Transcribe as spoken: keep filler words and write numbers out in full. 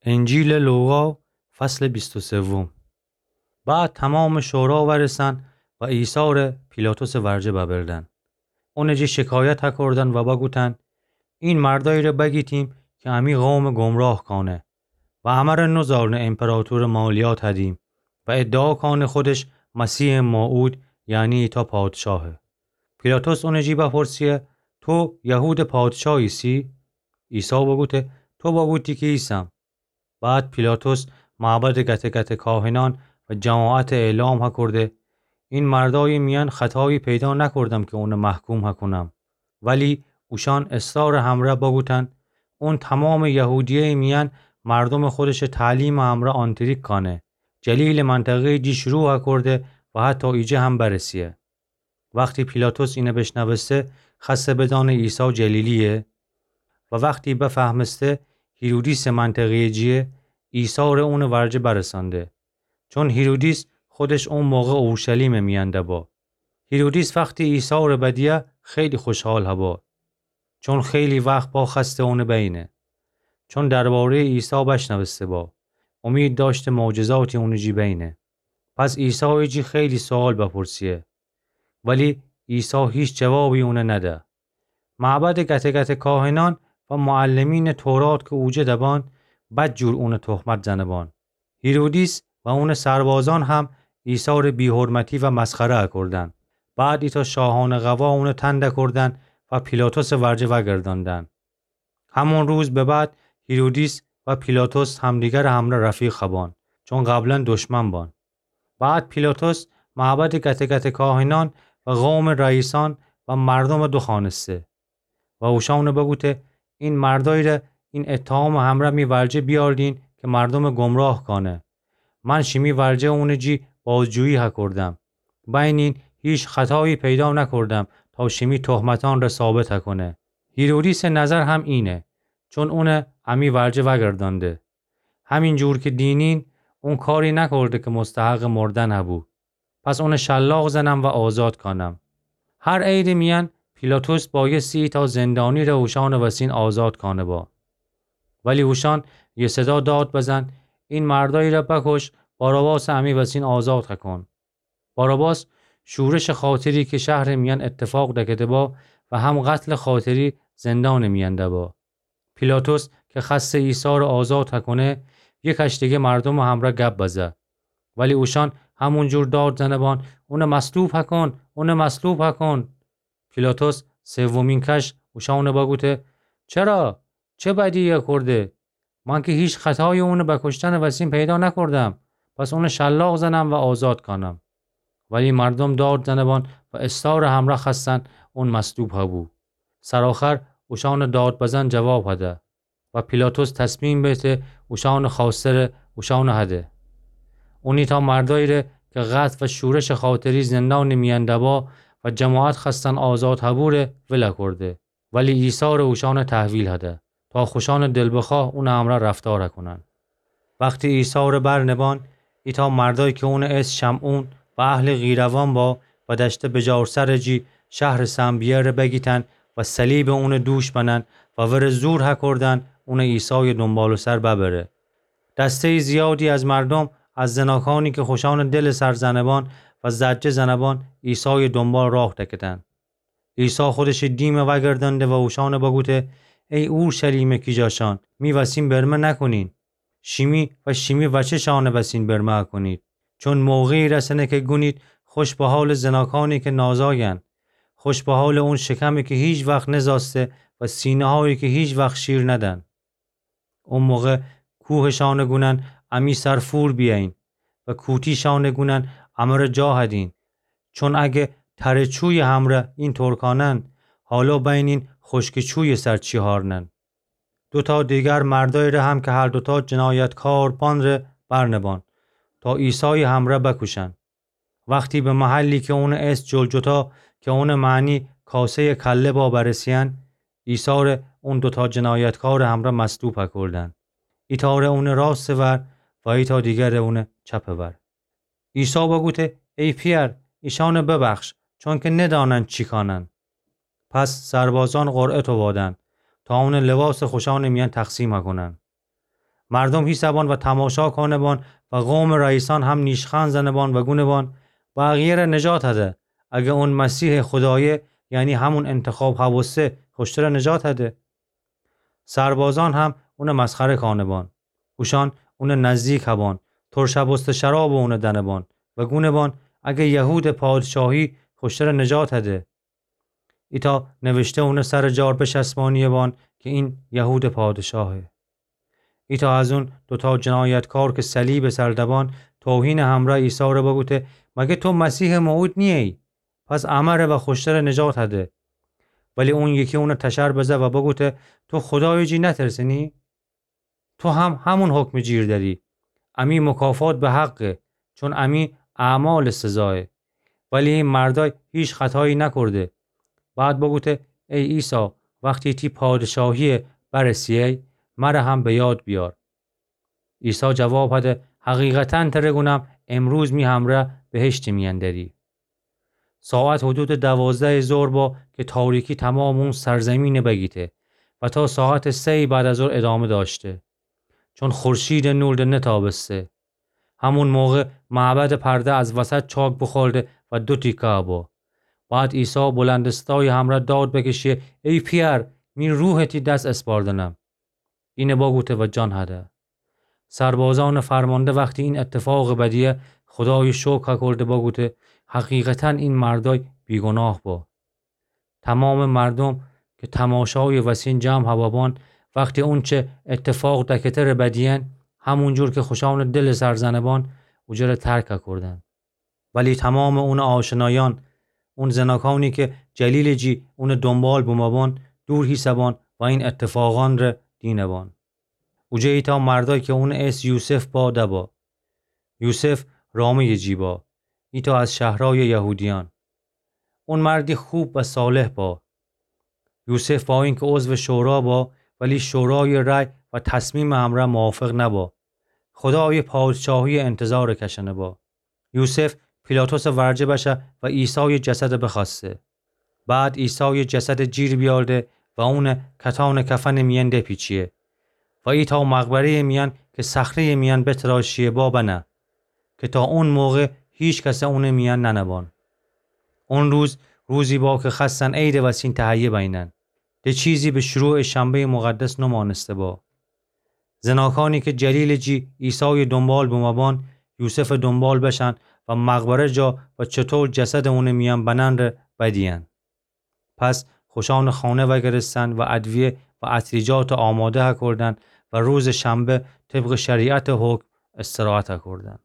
انجیلٚ لوقا، فصلٚ بیست و سوم. بعد تومامٚ شورا وأرسن و عیسی ره پیلاطسٚ ورجه ببردن. اونٚ جی شکایت هکردن و بگوتن: این مردأیی ره بگیتیم کی امی قومٚ گمراه کانه و امره نوزارنه ایمپراطورٚ مالیات هدیم و ادعا کانه خودش مسیحٚ موعود، یعنی ایتأ پادشاهه. پیلاطس اونٚ جی بپرسیه: تو یهودٚ پادشاه ایسی؟ عیسی بگوته: تو بگوتی کی ایسم. بعد پیلاطس معبدٚ گته‌گته‌کاهنأن و جماعت اعلام هکرده: این مردأیی میأن خطایی پیدا نکردم کی اون محکوم هکنم. ولی اوشأن اصرارٚ همرأ بگوتن: اون تومامٚ یهودیه‌یٚ میأن مردومٚ خودشٚ تعلیمٚ همرأ آنتریک کانه، جلیلٚ منطقه‌یٚ جی شروع هکرده و حتی ایجه هم برسیه. وختی پیلاطس اینه بشنوسته، خوأسته بدأنه عیسی جلیلی‌یه و وختی بفهمسته هیرودیسٚ منطقه‌یٚ جیه، عیسی ره اونٚ ورجه برسأنده، چون هیرودیس خودش او موقع اورشلیمٚ میأن دبا. هیرودیس وختی عیسی ره بدیه خیلی خوشحال هبا، چون خیلی وخت با خوأسته اونه بینه، چون درباره‌یٚ عیسی بشنوسته با، امید دأشته معجزاتی اونٚ جی بینه. پس عیسایٚ جی خیلی سؤال بپرسیه، ولی عیسی هیچ جوابی اونه نده. معبدٚ گته‌گته‌کاهنأن و معلمینٚ تورات کی اوجه دبان، بدجور اونه تهمت زنبان. هیرودیس و اونٚ سربازأن هم عیسی ره بی‌حرمتی و مسخره اکردن. بعد ایتأ شاهانه قوا اونه تن دکردن و پیلاطسٚ ورجه وأگردأندن. همون روز به بعد هیرودیس و پیلاطس همدیگرٚ همرأ رفیق هبان، چون قبلا دشمن بان. بعد پیلاطس معبدٚ گته‌گته‌کاهنأن و قومٚ رئیسأن و مردوم دوخوأنسته و اوشأن بگوته: این مردأیی ره این اتهامٚ همرأ می ورجه بیأردین کی مردوم گمراه کانه. من شیمی ورجه اونٚ جی بازجویی هکردم. بینین هیچ خطایی پیدا نکردم تا شیمی تهمتأن ره ثابت هکنه. هیرودیسٚ نظر هم اینه، چون اونه امی ورجه وأگردأنده. همین جور کی دینین، اون کاری نکرده کی مستحقٚ مردن هبو. پس اونه شلاق زنم و آزاد کانم. هر عیدٚ میأن پیلاطس بایستی ایتأ زندانی ره اوشأنٚ وسین آزاد کانه با. ولی اوشأن یه صدا داد بزن: این مردأیی ره بکش، باراباسٚ امی وسین آزاد هکن. باراباس شورشٚ خاطری کی شهرٚ میأن اتفاق دکده با و هم قتلٚ خاطری زندانٚ میأن دبا. پیلاطس کی خوأسته عیسی ره آزاد هکونه، یکأش دگه مردومٚ همرأ گب بزه. ولی اوشأن همون جور داد زنبان: اونه مصلوب هکن، اونه مصلوب هکن. پیلاطس سومین کش اوشأن بگوته: چرا؟ چه بدیی اکرده؟ من کی هیچ خطایی اونه بکشتنٚ وسین پیدا نکردم. پس اونه شلاق زنم و آزاد کانم. ولی مردوم داد زنبان و اصرارٚ همرأ خوأستن اون مصلوب هبو. سرآخر اوشأنٚ داد بزن جواب هده و پیلاطس تصمیم بیته اوشأنٚ خوأسته ره اوشأن هده. اون ایتأ مردأیی ره کی قتل و شورشٚ خاطری زندانٚ میأن دبا و جماعت خوأستن آزاد هبو ره ول اکرده. ولی عیسی ره اوشأن تحویل هده تا خوشأنٚ دلبخواه اونٚ همرأ رفتار هکنن. وختی عیسی ره برنبان، ایتأ مردأیی کی اونٚ اسم شمعون و اهلٚ قیروان با و دأشته بجارسرٚ جی شهرٚ سنبیه ره بگیتن و صلیب اونٚ دوش بنن و وره زور هکردن اون عیسایٚ دونبالٚ‌سر ببره. دسته‌یٚ زیادی از مردوم از زناکأنی کی خوشأنٚ دلٚ سر زنبان و زجه زنبان عیسایٚ دونبال راه دکتن. عیسی خودشٚ دیم وأگردأنده و اوشأن بگوته: ای اورشلیمٚ کیجاشأن، می وسین برمه نکنین. شیمی و شیمی وچه شأنٚ وسین برمه اکنید. چون موقعی رسنه کی گونید: خوش به حالٚ زناکأنی کی نازاین. خوش به حالٚ اون شکمی کی هیچ وخت نزاسته و سینه‌هایی کی هیچ وخت شیر ندن. او موقع کوهشأن گونن: امی سر فور بیأیین. و کوتیشأن گونن: امره جا هدین. چون اگه تره چویٚ همرأ اینطور کانن، حالا بینین خشکٚ چویٚ سر چی هارنن. دوتا دیگر مردأیی ره هم کی هر دوتا جنایتکار بان ره برنبان تا عیسایٚ همرأ بکوشن. وختی به محلی کی اونٚ اسم جلجتا، کی اونٚ معنی کاسه‌یٚ کله با، برسیأن، عیسی ره اون دوتا جنایتکارٚ همرأ مصلوب هکردن. ایتأ ره اونٚ راستٚ ور و ایتأ دیگر ره اونٚ چپٚ ور. عیسی بگوته: ای پئر، ایشأن ببخش، چونکی ندانن چی کانن. پس سربازأن قرعه تووادن تا اونٚ لباس خوشأنٚ میأن تقسیم هکنن. مردوم هیسه بان و تماشا کانه بان و قومٚ رئیسأن هم نیشخند زنه بان و گونه بان: با اغییه ره نجات هده، اگر اون مسیحٚ خودایه، یعنی همون انتخاب هوسته، خوشتره نجات هده. سربازأن هم اونه مسخره کانه بان. اوشأن اونه نزدیک هبان، ترشه بوسته شرابٚ اونه دنه بان و گونه بان: اگر یهودٚ پادشاهی، خوشتره نجات هده. ایتأ نوشته اونه سرٚ جار بچسبانیه بان که این یهودٚ پادشاهه. ایتأ از اون دوتأ جنایتکار که صلیبٚ سر دبان، توهینٚ همرأ عیسی ره بگوته: مگر تو مسیحٚ موعود نییی؟ پس امره و خوشتره نجات هده. ولی اون یکی اونه تشر بزه و بگوته: تو خودایٚ جی نترسه‌نی؟ تو هم همون حکمٚ جیر دری. امی مکافات به حقه، چون امی اعمالٚ سزایه. ولی ای مردأی هیچ خطایی نکرده. بعد بگوته: ای عیسی، وختی تی پادشاهیه برسه‌یی، مره هم به یاد بیار. عیسی جواب هده: حقیقتاً تره گونم، امروز می همرأ بهشتٚ میأن دری. ساعت حدودٚ دوازدهٚ ظهر با که تاریکی تمامٚ اون سرزمینه بگیته و تا ساعتٚ سه‌یٚ بعد از ظهر ادامه داشته، چون خورشیدٚ نور ده نتابسته. همون موقع معبدٚ پرده از وسط چاک بوخورده و دو تیکه با. بعد عیسی بلندٚ صدایٚ همرأ داد بکشه: ای پئر، می روحه تی دس اسپاردنم. اینه بگوته و جان هده. سربازأنٚ فرمانده وختی این اتفاقٚ بدیه، خودایٚ شکر هکرده بگوته: حقیقتاً این مردأی بیگناه با. تمامٚ مردوم که تماشایٚ وسین جمع هبه بان، وختی اونچه اتفاق دکته ره بدیئن، همون جور که خوشأنٚ دلٚ سر زنه بان، اوجه ره ترک هکردن. ولی تمامٚ اونٚ آشنایأن، اون زناکانی که جلیلٚ جی اونٚ دونبال بومه بان، دور هیسه بان و این اتفاقأن ره دینه بان. اوجه ایتأ مردأی که اونٚ اسم یوسف با دبا. یوسف رامه‌یٚ جی با، ایتأ از شهرأیٚ یهودیأن. اون مردی خوب و صالح با. یوسف با اینکه عضوٚ شورا با، ولی شورایٚ رأی و تصمیمٚ همرأ موافق نبا. خودایٚ پادشاهیٚ انتظارٚ کشأنه با. یوسف پیلاطسٚ ورجه بشه و عیسایٚ جسد بخوأسته. بعد عیسایٚ جسد جیر بیأرده و اون کتانٚ کفنٚ میأن دپیچیه و ایتأ مقبره‌یٚ میأن که صخره‌یٚ میأن بتراشیه با بنه، که تا اون موقع هیچ کس اونٚ میأن ننه بان. اون روز، روزی با که خوأستن عیدٚ وسین تهیه بینن. ده چیزی به شروعٚ شنبه‌یٚ مقدس نمانسته با. زناکانی که جلیلٚ جی عیسایٚ دونبال بومه بان، یوسفٚ دونبال بشن و مقبره جا و چطور جسدٚ اونٚ میأن بنن ره بدیئن. پس خوشأنٚ خانه وأگرستن و ادویه و عطریجات آماده هکردن و روزٚ شنبه طبقٚ شریعتٚ حکم استراحت هکردن.